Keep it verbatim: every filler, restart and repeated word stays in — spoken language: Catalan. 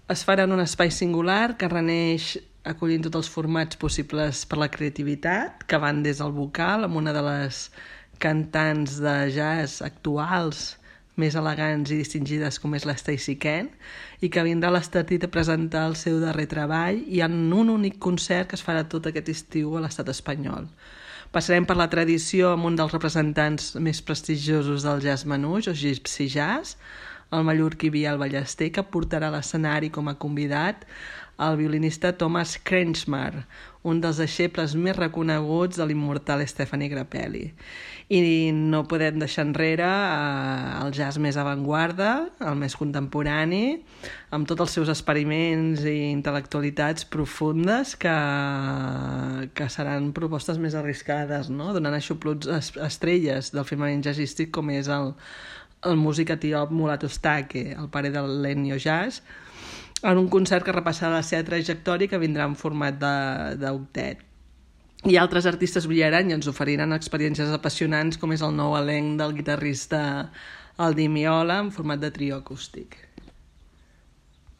Es farà en un espai singular que reneix acollint tots els formats possibles per la creativitat, que van des del vocal, amb una de les cantants de jazz actuals més elegants i distingides com és la Stacey Kent, i que vindrà a l'Estartit a presentar el seu darrer treball i en un únic concert que es farà tot aquest estiu a l'estat espanyol. Passarem per la tradició amb un dels representants més prestigiosos del jazz manouche, o Gypsy Jazz, el mallorquí Biel Ballester, que portarà a l'escenari com a convidat el violinista Thomas Kretschmar, un dels deixebles més reconeguts de l'immortal Stefani Grappelli. I no podem deixar enrere eh, el jazz més avantguarda, el més contemporani, amb tots els seus experiments i intel·lectualitats profundes que, que seran propostes més arriscades, no? Donant aixopluts estrelles del firmament jazzístic com és el, el músic etiop Mulatu Stake, el pare del l'Ennio Jazz, en un concert que repassarà la seva trajectòria que vindrà en format d'octet. I altres artistes brillaran i ens oferiran experiències apassionants com és el nou elenc del guitarrista Aldi Miola en format de trio acústic.